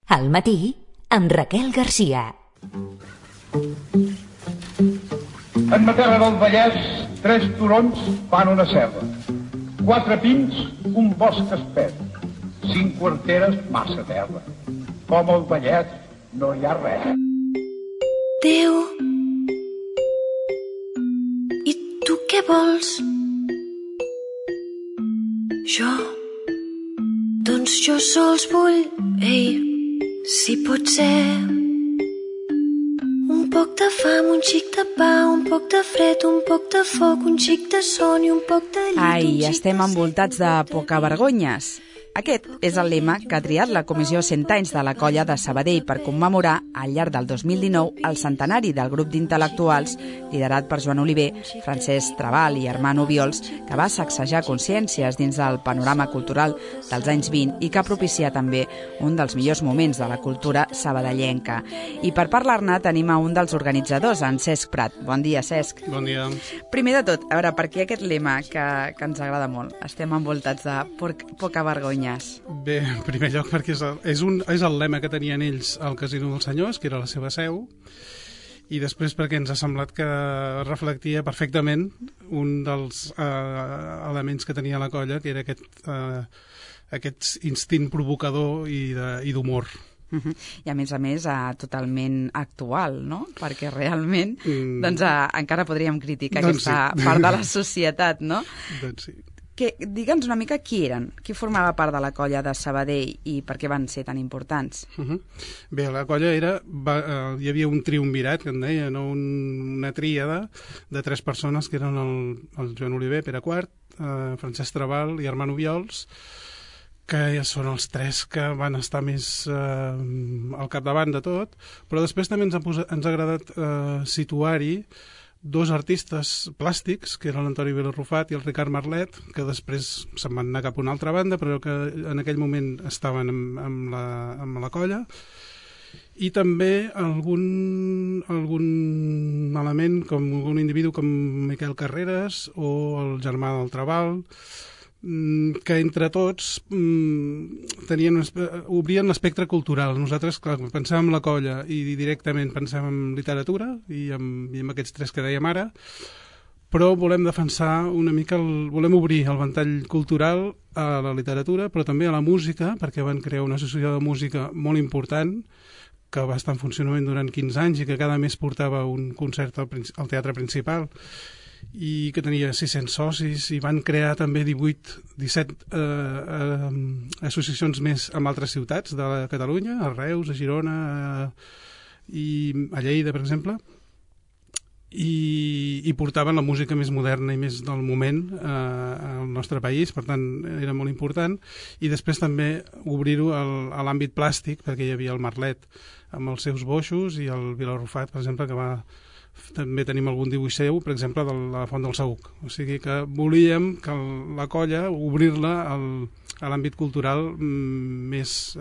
Al matí, amb Raquel Garcia. En Matera del Vallès, 3 turons fan una serra. 4 pins, un bosc espès. 5 quarteres, massa terra. Com al Vallès no hi ha res. Déu, i tu què vols? Jo? Doncs jo sols vull, si pot ser, un poc de fam, un xic de pa, un poc de fred, un poc de foc, un xic de son i un poc de llit. Ai, estem envoltats de pocavergonyes. Aquest és el lema que ha triat la Comissió 100 anys de la Colla de Sabadell per commemorar, al llarg del 2019, el centenari del grup d'intel·lectuals liderat per Joan Oliver, Francesc Trabal i Armand Obiols, que va sacsejar consciències dins del panorama cultural dels anys 20 i que ha propiciat també un dels millors moments de la cultura sabadellenca. I per parlar-ne tenim a un dels organitzadors, en Cesc Prat. Bon dia, Cesc. Bon dia. Primer de tot, a veure, per què aquest lema que ens agrada molt? Estem envoltats de pocavergonyes. Bé, en primer lloc perquè és el lema que tenien ells al Casino dels Senyors, que era la seva seu, i després perquè ens ha semblat que reflectia perfectament un dels elements que tenia la colla, que era aquest instint provocador i d'humor. I a més, totalment actual, no? Perquè realment encara podríem criticar aquesta part de la societat, no? Doncs sí. Digue'ns una mica qui eren, qui formava part de la colla de Sabadell i per què van ser tan importants. Bé, la colla hi havia un triumvirat, que en deia, no? Una tríada de 3 persones, que eren el Joan Oliver, Pere IV, Francesc Trabal i Armand Obiols, que ja són els 3 que van estar més al capdavant de tot, però després també ens ha agradat situar-hi 2 artistes plàstics, que eren l'Antoni Vilarrufat i el Ricard Marlet, que després se'n van anar cap a una altra banda, però que en aquell moment estaven amb la colla, i també algun element, com un individu com Miquel Carreras o el germà del Trabal, que entre tots obrien l'espectre cultural. Nosaltres, clar, pensàvem en la colla i directament pensàvem en literatura i en aquests 3 que dèiem ara, però volem defensar una mica, volem obrir el ventall cultural a la literatura, però també a la música, perquè van crear una associació de música molt important que va estar en funcionament durant 15 anys i que cada mes portava un concert al Teatre Principal, i que tenia 600 socis, i van crear també 17 associacions més en altres ciutats de Catalunya, a Reus, a Girona i a Lleida, per exemple, i portaven la música més moderna i més del moment al nostre país, per tant era molt important. I després també obrir-ho a l'àmbit plàstic, perquè hi havia el Marlet amb els seus boixos i el Vilarrufat, per exemple, que també tenim algun dibuix seu, per exemple, de la Font del Saüc. O sigui que volíem que la colla obrir-la a l'àmbit cultural més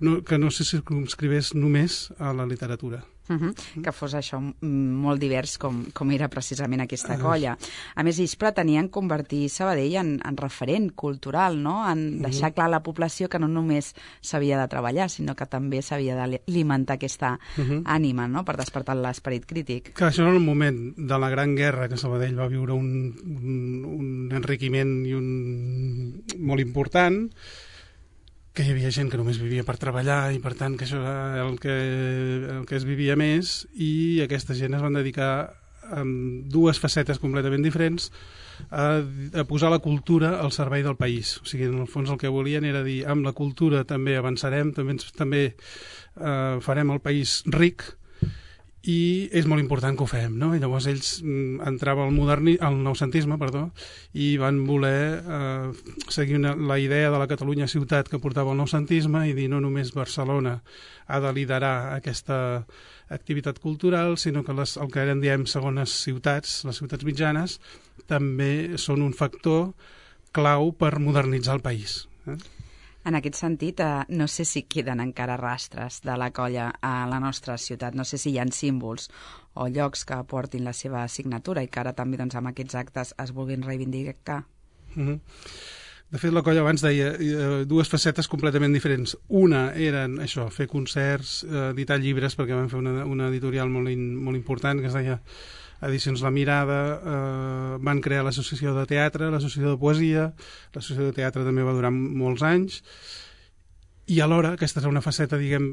que no se circumscrivés només a la literatura. Que fos això molt divers com era precisament aquesta colla. A més, ells pretenien convertir Sabadell en referent cultural, no? En deixar clar a la població que no només s'havia de treballar, sinó que també s'havia d'alimentar aquesta ànima, no? Per despertar l'esperit crític. Clar, això era el moment de la Gran Guerra, que Sabadell va viure un enriquiment molt important, que hi havia gent que només vivia per treballar i per tant que això era el que es vivia més, i aquesta gent es van dedicar amb 2 facetes completament diferents a posar la cultura al servei del país. O sigui, en el fons el que volien era dir, amb la cultura també avançarem, també farem el país ric, i és molt important que ho fem, no? I llavors ells entrava al noucentisme, i van voler seguir la idea de la Catalunya ciutat que portava el noucentisme i dir no només Barcelona ha de liderar aquesta activitat cultural, sinó que el que en diem segones ciutats, les ciutats mitjanes, també són un factor clau per modernitzar el país. En aquest sentit, no sé si queden encara rastres de la colla a la nostra ciutat, no sé si hi ha símbols o llocs que portin la seva signatura i que ara també amb aquests actes es vulguin reivindicar. De fet, la colla abans deia dues facetes completament diferents. Una eren això, fer concerts, editar llibres, perquè vam fer una editorial molt important que es deia Edicions La Mirada, van crear l'associació de teatre, l'associació de poesia, l'associació de teatre també va durar molts anys, i alhora, aquesta és una faceta, diguem,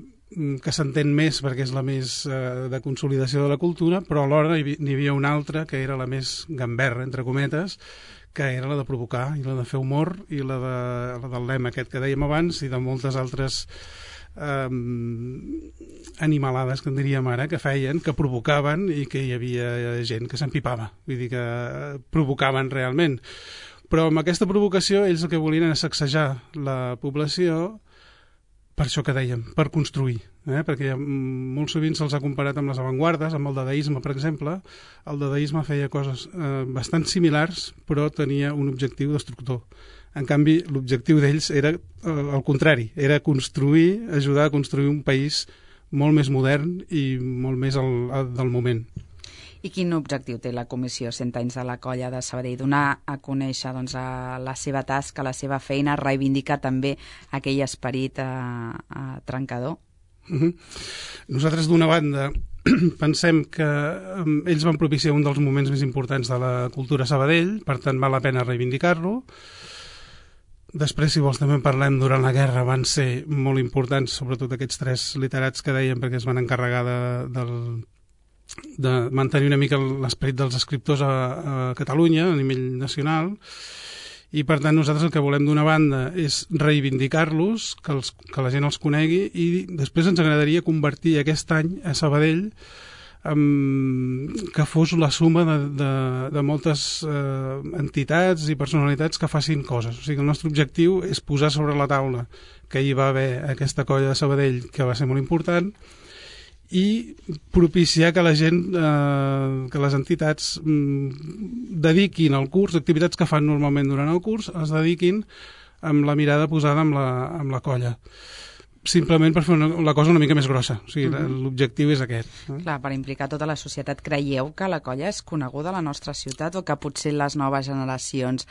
que s'entén més perquè és la més de consolidació de la cultura, però alhora n'hi havia una altra que era la més gamberra, entre cometes, que era la de provocar i la de fer humor i la del lema aquest que dèiem abans i de moltes altres animalades, que en diríem ara, que feien, que provocaven i que hi havia gent que s'empipava, vull dir que provocaven realment. Però amb aquesta provocació ells el que volien era sacsejar la població, per això que dèiem, per construir, perquè molt sovint se'ls ha comparat amb les avantguardes, amb el dadaisme, per exemple. El dadaisme feia coses bastant similars, però tenia un objectiu destructor. En canvi, l'objectiu d'ells era el contrari, era construir, ajudar a construir un país molt més modern i molt més del moment. I quin objectiu té la Comissió 100 anys de la Colla de Sabadell? Donar a conèixer la seva tasca, la seva feina, reivindicar també aquell esperit trencador? Nosaltres, d'una banda, pensem que ells van propiciar un dels moments més importants de la cultura a Sabadell, per tant val la pena reivindicar-lo. Després, si vols, també parlem, durant la guerra van ser molt importants, sobretot aquests 3 literats que dèiem, perquè es van encarregar de mantenir una mica l'esperit dels escriptors a Catalunya, a nivell nacional, i per tant nosaltres el que volem d'una banda és reivindicar-los, que la gent els conegui, i després ens agradaria convertir aquest any a Sabadell que fos la suma de moltes entitats i personalitats que facin coses. O sigui, el nostre objectiu és posar sobre la taula que hi va haver aquesta colla de Sabadell, que va ser molt important, i propiciar que la gent, que les entitats dediquin al curs, activitats que fan normalment durant el curs, es dediquin amb la mirada posada amb la colla. Simplement per fer la cosa una mica més grossa. O sigui, l'objectiu és aquest. Clar, per implicar tota la societat. Creieu que la colla és coneguda a la nostra ciutat o que potser les noves generacions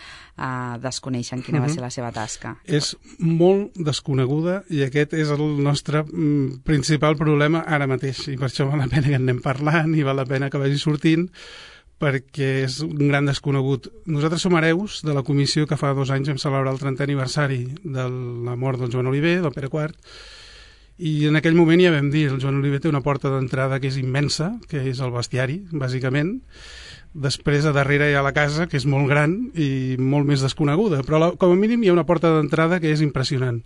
desconeixen quina va ser la seva tasca? És molt desconeguda i aquest és el nostre principal problema ara mateix. I per això val la pena que en anem parlant i val la pena que vagi sortint, perquè és un gran desconegut. Nosaltres som hereus de la comissió que fa 2 anys vam celebrar el 30è aniversari de la mort del Joan Oliver, del Pere IV, i en aquell moment ja vam dir, el Joan Oliver té una porta d'entrada que és immensa, que és el bestiari, bàsicament. Després, a darrere hi ha la casa, que és molt gran i molt més desconeguda, però com a mínim hi ha una porta d'entrada que és impressionant.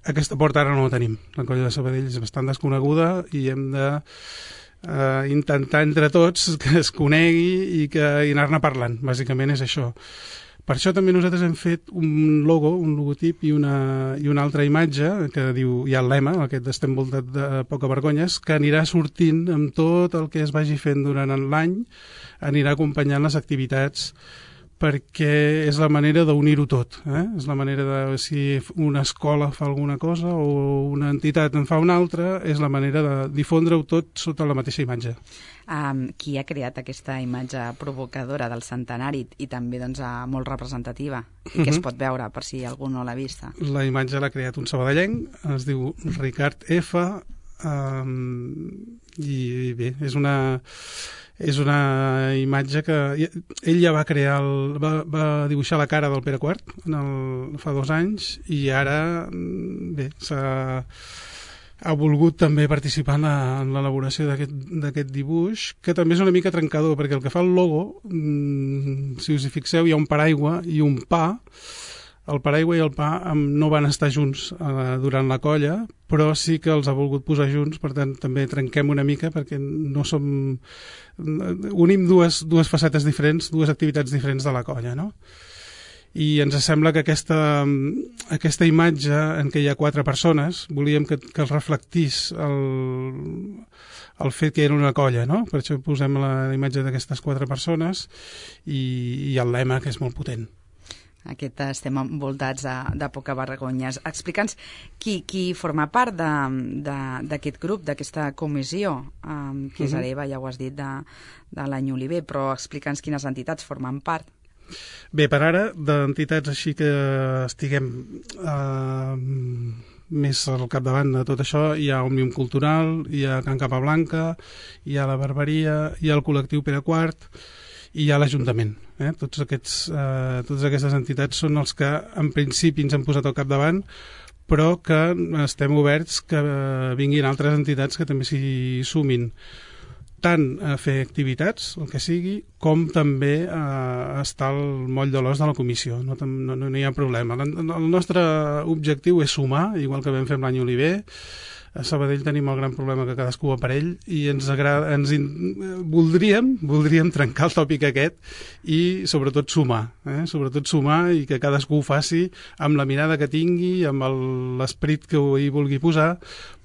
Aquesta porta ara no la tenim. La colla de Sabadell és bastant desconeguda i hem de intentar entre tots que es conegui i anar-ne parlant, bàsicament és això. Per això també nosaltres hem fet un logo, un logotip i una altra imatge que diu, hi ha el lema, aquest estem voltat de poca vergonyes, que anirà sortint amb tot el que es vagi fent durant l'any, anirà acompanyant les activitats, perquè és la manera d'unir-ho tot. És la manera de, si una escola fa alguna cosa o una entitat en fa una altra, és la manera de difondre-ho tot sota la mateixa imatge. Qui ha creat aquesta imatge provocadora del centenari i també molt representativa? I que es pot veure, per si algú no l'ha vista? La imatge l'ha creat un sabadellenc, es diu Ricard F. I bé, és una imatge que ell ja va crear, va dibuixar la cara del Pere IV fa 2 anys i ara bé, ha volgut també participar en l'elaboració d'aquest dibuix, que també és una mica trencador, perquè el que fa el logo, si us hi fixeu, hi ha un paraigua i un pa. El paraigua i el pa no van estar junts durant la colla, però sí que els ha volgut posar junts, per tant també trenquem una mica perquè no som... unim dues facetes diferents, 2 activitats diferents de la colla, no? I ens sembla que aquesta imatge en què hi ha 4 persones, volíem que es reflectís el fet que era una colla, no? Per això posem la imatge d'aquestes 4 persones i el lema, que és molt potent. Estem envoltats de poca vergonyes. Explica'ns qui forma part d'aquest grup, d'aquesta comissió, que és hereva, ja ho has dit, de l'any Oliver, però explica'ns quines entitats formen part. Bé, per ara, d'entitats així que estiguem més al capdavant de tot això, hi ha Òmnium Cultural, hi ha Can Capablanca, hi ha la Barberia, hi ha el col·lectiu Pere IV i hi ha l'Ajuntament. Totes aquestes entitats són els que en principi ens han posat al capdavant, però que estem oberts que vinguin altres entitats que també s'hi sumin, tant a fer activitats, el que sigui, com també a estar al moll de l'os de la comissió. No hi ha problema. El nostre objectiu és sumar, igual que vam fer amb l'any Oliver. A Sabadell tenim el gran problema que cadascú va per ell i voldríem trencar el tòpic aquest i sobretot sumar. Sobretot sumar i que cadascú ho faci amb la mirada que tingui, amb l'esperit que hi vulgui posar,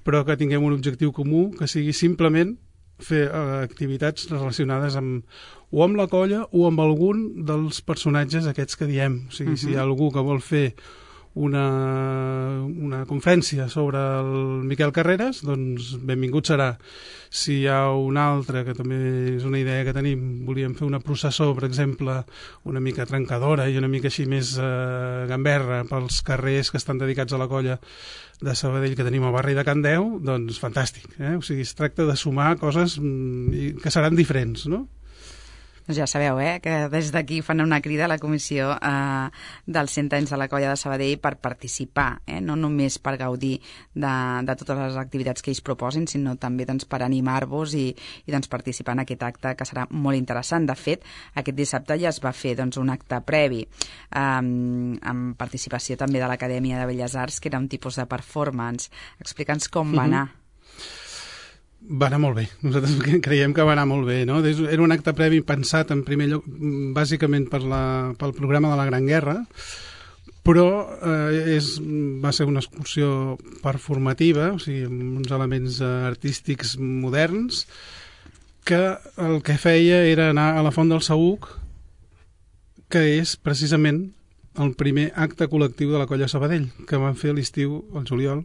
però que tinguem un objectiu comú, que sigui simplement fer activitats relacionades o amb la colla o amb algun dels personatges aquests que diem. O sigui, si hi ha algú que vol fer una conferència sobre el Miquel Carreras, doncs benvingut serà. Si hi ha un altre, que també és una idea que tenim, volíem fer una processó, per exemple, una mica trencadora i una mica així més gamberra pels carrers que estan dedicats a la colla de Sabadell que tenim al barri de Can Deu, doncs fantàstic. O sigui, es tracta de sumar coses que seran diferents, no? Doncs ja sabeu, que des d'aquí fan una crida a la comissió dels 100 anys de la colla de Sabadell per participar, no només per gaudir de totes les activitats que ells proposin, sinó també doncs, per animar-vos i doncs, participar en aquest acte que serà molt interessant. De fet, aquest dissabte ja es va fer doncs, un acte previ amb participació també de l'Acadèmia de Belles Arts, que era un tipus de performance. Explica'ns com va anar. Va anar molt bé, nosaltres creiem que va anar molt bé, no? Era un acte previ pensat en primer lloc bàsicament pel programa de la Gran Guerra, però va ser una excursió performativa, o sigui, amb uns elements artístics moderns, que el que feia era anar a la Font del Saüc, que és precisament el primer acte col·lectiu de la colla Sabadell, que van fer a l'estiu, al juliol,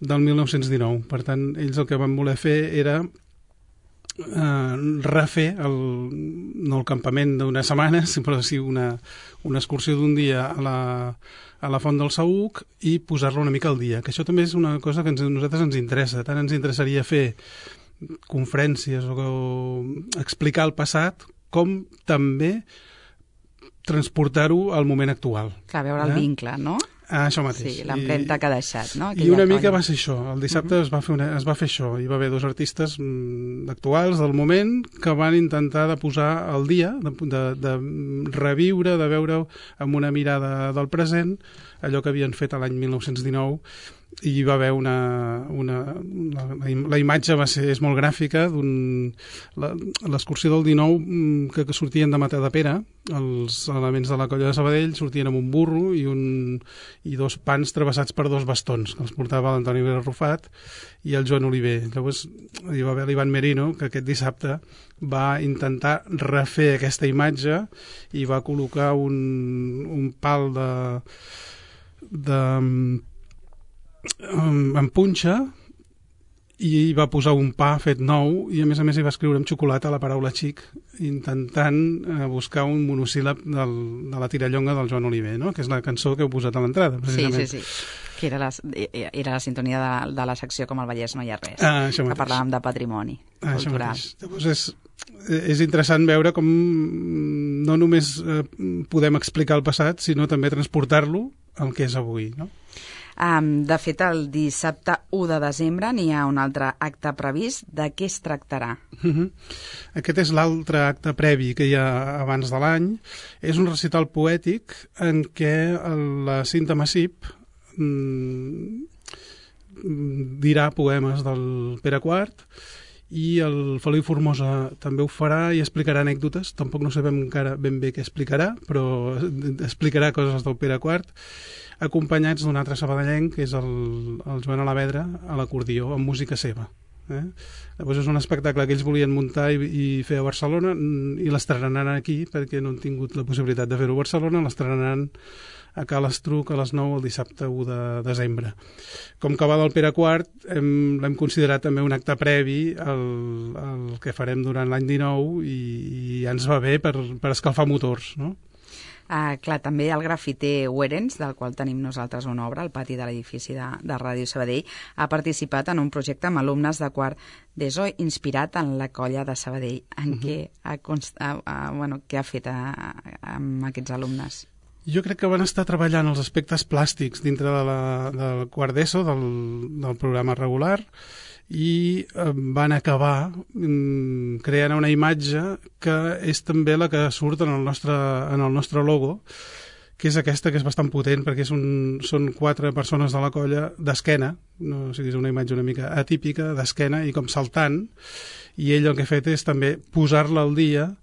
del 1919. Per tant, ells el que van voler fer era refer no el campament d'unes setmanes, però sí una excursió d'un dia a la Font del Saüc i posar-la una mica al dia, que això també és una cosa que a nosaltres ens interessa. Tant ens interessaria fer conferències o explicar el passat, com també transportar-ho al moment actual. Clar, veure el vincle, no? Això mateix. Sí, l'empremta que ha deixat, no? I una mica va ser això. El dissabte es va fer això. Hi va haver dos artistes actuals del moment que van intentar de posar al dia, de reviure, de veure amb una mirada del present allò que havien fet l'any 1919, i hi va haver la imatge és molt gràfica. L'excursió del 19 que sortien de Matadepera, els elements de la colla de Sabadell sortien amb un burro i dos pans travessats per dos bastons, que els portava l'Antoni Vera Rufat i el Joan Oliver. Llavors hi va haver l'Ivan Merino, que aquest dissabte va intentar refer aquesta imatge i va col·locar un pal en punxa i va posar un pa fet nou i a més hi va escriure amb xocolata la paraula xic, intentant buscar un monosíl·lab de la tirallonga del Joan Oliver, no? Que és la cançó que heu posat a l'entrada, precisament. Sí. Que era la sintonia de la secció Com al Vallès no hi ha res, que parlàvem de patrimoni cultural. Llavors és interessant veure com no només podem explicar el passat, sinó també transportar-lo al que és avui, no? De fet, el dissabte 1 de desembre n'hi ha un altre acte previst. De què es tractarà? Aquest és l'altre acte previ que hi ha abans de l'any. És un recital poètic en què la Cinta Massip dirà poemes del Pere IV i el Feliu Formosa també ho farà i explicarà anècdotes. Tampoc no sabem encara ben bé què explicarà, però explicarà coses del Pere IV, acompanyats d'un altre sabadellenc, que és el Joan Alavedra, a l'acordió, amb música seva. Llavors és un espectacle que ells volien muntar i fer a Barcelona, i l'estrenaran aquí, perquè no han tingut la possibilitat de fer-ho a Barcelona, l'estrenaran a Cal Estruc a les 9 el dissabte 1 de desembre. Com que va del Pere IV, l'hem considerat també un acte previ al que farem durant l'any 19 i ja ens va bé per escalfar motors, no? Clar, també el grafiter Werens, del qual tenim nosaltres una obra al pati de l'edifici de Ràdio Sabadell, ha participat en un projecte amb alumnes de quart d'ESO inspirat en la colla de Sabadell. En què ha fet amb aquests alumnes? Jo crec que van estar treballant els aspectes plàstics dintre del quart d'ESO, del programa regular, i van acabar creant una imatge que és també la que surt en el nostre logo, que és aquesta, que és bastant potent, perquè són 4 persones de la colla d'esquena, no, o sigui, és una imatge una mica atípica, d'esquena i com saltant, i ell el que ha fet és també posar-la al dia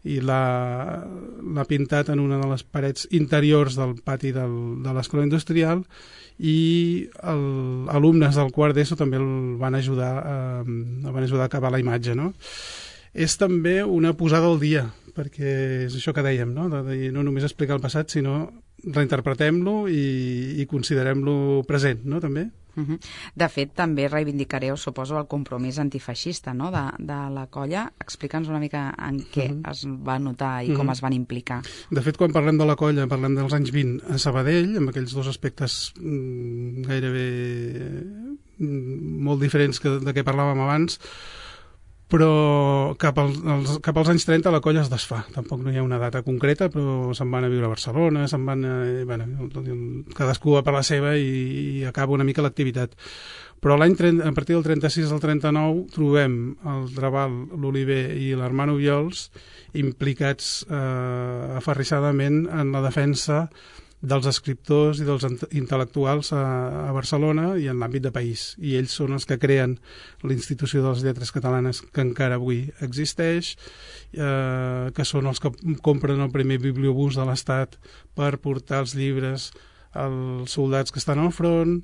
i l'ha pintat en una de les parets interiors del pati de l'escola industrial, i alumnes del quart d'ESO també el van ajudar a acabar la imatge, no? És també una posada al dia, perquè és això que dèiem, no? De no només explicar el passat, sinó reinterpretem-lo i considerem-lo present, no? També. De fet, també reivindicareu, suposo, el compromís antifeixista, no? de la colla. Explica'ns una mica en què es va notar i com es van implicar. De fet, quan parlem de la colla, parlem dels anys 20 a Sabadell, amb aquells 2 aspectes gairebé molt diferents de què parlàvem abans, però cap als anys 30 la colla es desfà. Tampoc no hi ha una data concreta, però se'n van a viure a Barcelona, cadascú va per la seva i acaba una mica l'activitat. Però a partir del 36 al 39 trobem el Trabal, l'Oliver i l'Hermano Viols implicats aferrissadament en la defensa dels escriptors i dels intel·lectuals a Barcelona i en l'àmbit de país. I ells són els que creen l'Institució de les Lletres Catalanes, que encara avui existeix, que són els que compren el primer bibliobús de l'Estat per portar els llibres als soldats que estan al front,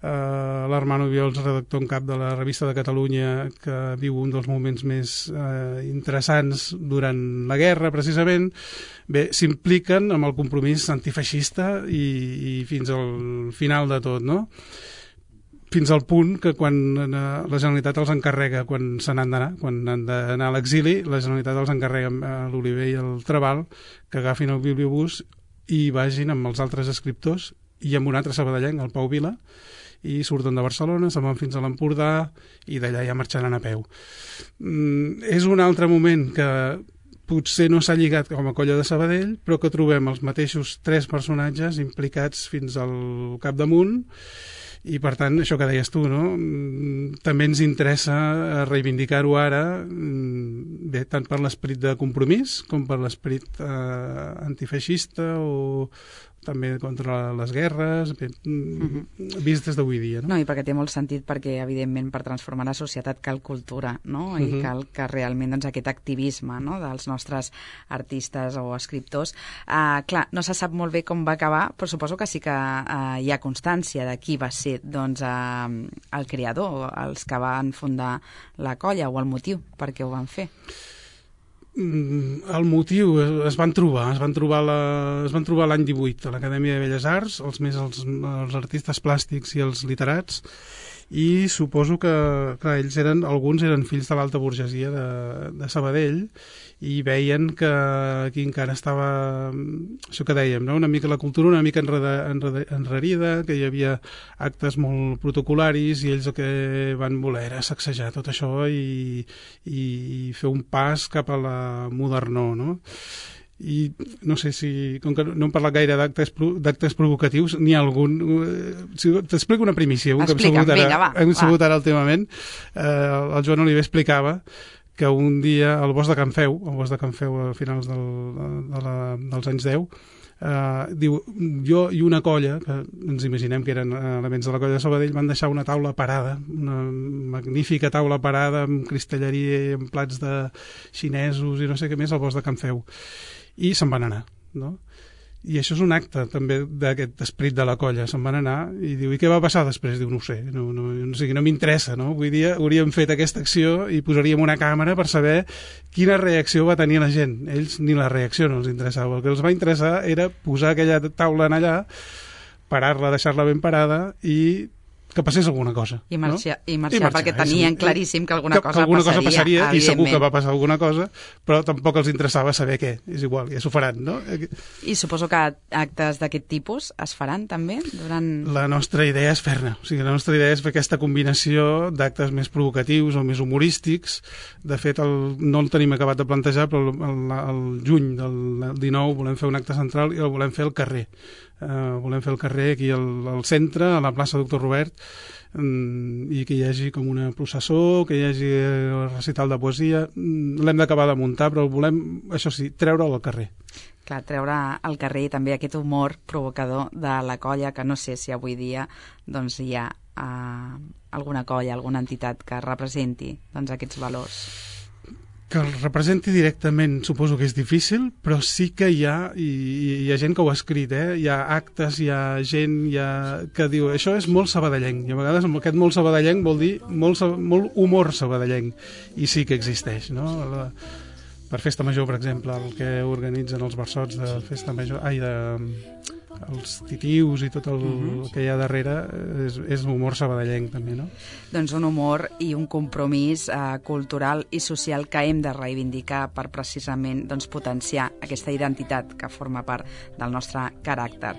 l'Hermano Viols, redactor en cap de la Revista de Catalunya, que viu un dels moments més interessants durant la guerra, precisament. Bé, s'impliquen amb el compromís antifeixista i fins al final de tot, no? Fins al punt que quan la Generalitat els encarrega, quan se n'han d'anar, quan han d'anar a l'exili, la Generalitat els encarrega a l'Oliver i al Trabal que agafin el bibliobús i vagin amb els altres escriptors i amb un altre sabadellenc, el Pau Vila, i surten de Barcelona, se'n van fins a l'Empordà i d'allà ja marxaran a peu. És un altre moment que potser no s'ha lligat com a colla de Sabadell, però que trobem els mateixos 3 personatges implicats fins al capdamunt, i per tant, això que deies tu, no? També ens interessa reivindicar-ho ara, bé, tant per l'esperit de compromís com per l'esperit antifeixista o també contra les guerres, vist des d'avui dia. No, i perquè té molt sentit, perquè evidentment per transformar la societat cal cultura, no? I cal que realment doncs, aquest activisme, no? dels nostres artistes o escriptors. Clar, no se sap molt bé com va acabar, però suposo que sí que hi ha constància de qui va ser doncs, el creador, els que van fundar la colla, o el motiu per què ho van fer. El motiu es van trobar l'any 18 a l'Acadèmia de Belles Arts, els artistes plàstics i els literats, i suposo que clar, alguns eren fills de l'alta burgesia de Sabadell i veien que aquí encara estava això que dèiem, no? Una mica la cultura una mica enrarida, que hi havia actes molt protocolaris i ells el que van voler era sacsejar tot això i fer un pas cap a la modernor, no? I no sé si, com que no hem parlat gaire d'actes provocatius, n'hi ha algun. T'explico una primícia, que hem sabut ara últimament. El Joan Oliver explicava que un dia al bosc de Can Feu a finals dels anys 10, diu, jo i una colla, que ens imaginem que eren elements de la colla de Sabadell, van deixar una taula parada, una magnífica taula parada amb cristalleria i amb plats de xinesos i no sé què més al bosc de Can Feu, i se'n van anar, no? I això és un acte també d'aquest esperit de la colla. Se'n van anar i diu, i què va passar després? Diu, no ho sé, no m'interessa, no? Avui dia hauríem fet aquesta acció i posaríem una càmera per saber quina reacció va tenir la gent. Ells ni la reacció no els interessava. El que els va interessar era posar aquella taula allà, parar-la, deixar-la ben parada i que passés alguna cosa. I marxar perquè tenien claríssim que alguna cosa passaria, i segur que va passar alguna cosa, però tampoc els interessava saber què. És igual, ja s'ho faran, no? I suposo que actes d'aquest tipus es faran també durant... La nostra idea és fer-ne. O sigui, la nostra idea és fer aquesta combinació d'actes més provocatius o més humorístics. De fet, no el tenim acabat de plantejar, però el juny del 19 volem fer un acte central i el volem fer al carrer. Volem fer el carrer aquí al centre, a la plaça Doctor Robert, i que hi hagi com una processó, que hi hagi recital de poesia. L'hem d'acabar de muntar, però volem, això sí, treure'l al carrer. Clar, treure al carrer i també aquest humor provocador de la colla, que no sé si avui dia doncs, hi ha alguna colla, alguna entitat que representi doncs, aquests valors. Que el representi directament suposo que és difícil, però sí que hi ha, i hi ha gent que ho ha escrit, hi ha actes, hi ha gent que diu això és molt sabadellenc, i a vegades aquest molt sabadellenc vol dir molt humor sabadellenc, i sí que existeix, no? Per Festa Major, per exemple, el que organitzen els versots de Festa Major, els titius i tot el que hi ha darrere és humor sabadellenc també, no? Doncs un humor i un compromís cultural i social que hem de reivindicar per precisament doncs, potenciar aquesta identitat que forma part del nostre caràcter.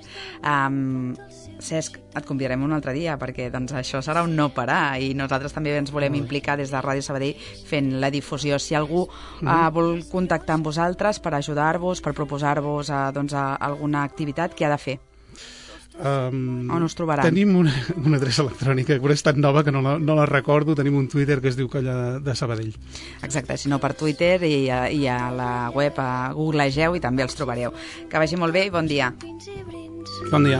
Cesc, et convidarem un altre dia perquè doncs, això serà un no parar i nosaltres també ens volem implicar des de Ràdio Sabadell fent la difusió. Si algú vol contactar amb vosaltres per ajudar-vos, per proposar-vos doncs, alguna activitat, què ha de fer? On us trobaran? Tenim una adreça electrònica, però és tan nova que no la recordo. Tenim un Twitter que es diu Colla de Sabadell. Exacte, si no per Twitter i a la web, a googlegeu i també els trobareu. Que vagi molt bé i bon dia. Bon dia.